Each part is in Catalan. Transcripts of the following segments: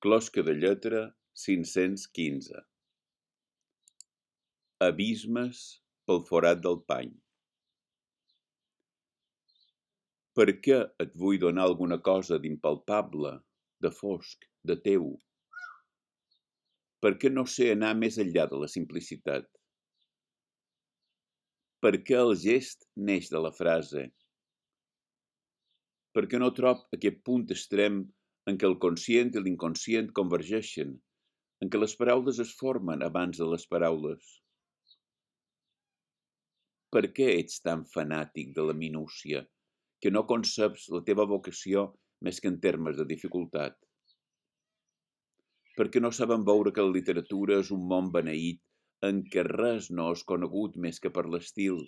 Closca de lletra 515. Abismes pel forat del pany. Per què et vull donar alguna cosa d'impalpable, de fosc, de teu? Per què no sé anar més enllà de la simplicitat? Per què el gest neix de la frase? Per què no trob aquest punt extrem en què el conscient i l'inconscient convergeixen, en què les paraules es formen abans de les paraules? Per què ets tan fanàtic de la minúcia, que no conceps la teva vocació més que en termes de dificultat? Per què no saben veure que la literatura és un món beneït en què res no és conegut més que per l'estil,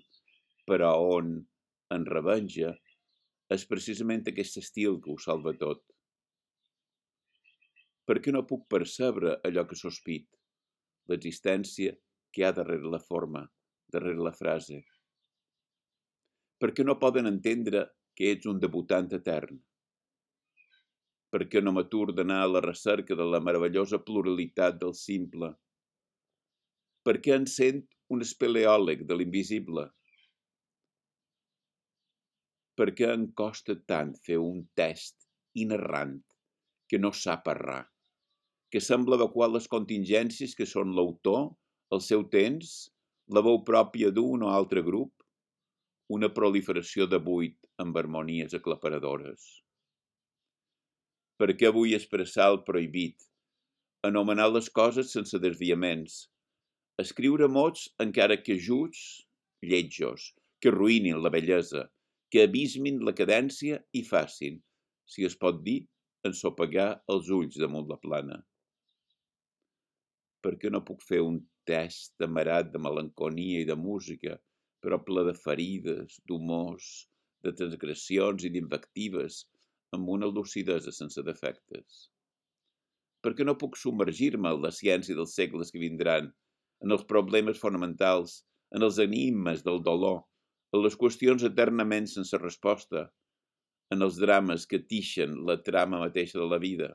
però on, en revenja, és precisament aquest estil que ho salva tot? Per què no puc percebre allò que sospit, l'existència que hi ha darrere la forma, darrere la frase? Per què no poden entendre que ets un debutant etern? Per què no m'atur d'anar a la recerca de la meravellosa pluralitat del simple? Per què em sent un espeleòleg de l'invisible? Per què em costa tant fer un test inerrant que no sap errar, que sembla adequar les contingències que són l'autor, el seu temps, la veu pròpia d'un o altre grup, una proliferació de buit amb harmonies aclaparadores? Per què vull expressar el prohibit, anomenar les coses sense desviaments, escriure mots encara que juts, lletjos, que ruïnin la bellesa, que abismin la cadència i facin, si es pot dir, ensopegar els ulls damunt la plana? Per què no puc fer un test amarat de melancolia i de música, però ple de ferides, d'humors, de transgressions i d'invectives, amb una lucidesa sense defectes? Per què no puc submergir-me en la ciència dels segles que vindran, en els problemes fonamentals, en els enigmes del dolor, en les qüestions eternament sense resposta, en els drames que tixen la trama mateixa de la vida?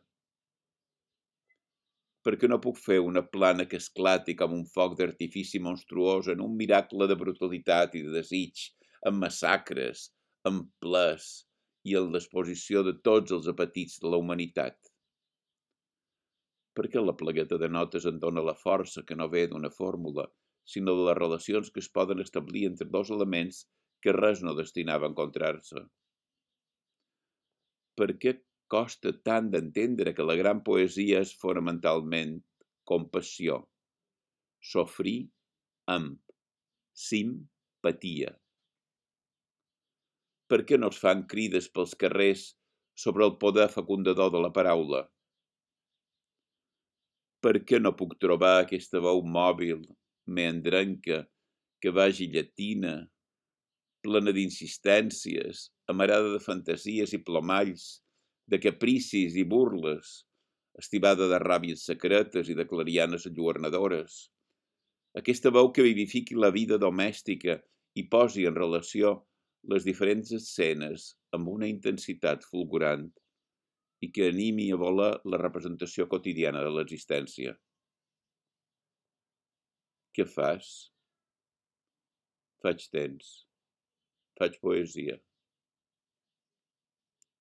Per què no puc fer una plana que esclati com un foc d'artifici monstruós en un miracle de brutalitat i de desig, amb massacres, amb plers i en l'exposició de tots els apetits de la humanitat? Per què la plagueta de notes en dona la força que no ve d'una fórmula, sinó de les relacions que es poden establir entre dos elements que res no destinava a encontrar-se? Per què costa tant d'entendre que la gran poesia és fonamentalment compassió, sofrir amb simpatia? Per què no es fan crides pels carrers sobre el poder fecundador de la paraula? Per què no puc trobar aquesta veu mòbil, meandrenca, que vagi llatina, plena d'insistències, amarada de fantasies i plomalls, de capricis i burles, estivada de ràbies secretes i de clarianes enlluernadores? Aquesta veu que vivifiqui la vida domèstica i posi en relació les diferents escenes amb una intensitat fulgurant i que animi a volar la representació quotidiana de l'existència. Què fas? Faig temps. Faig poesia.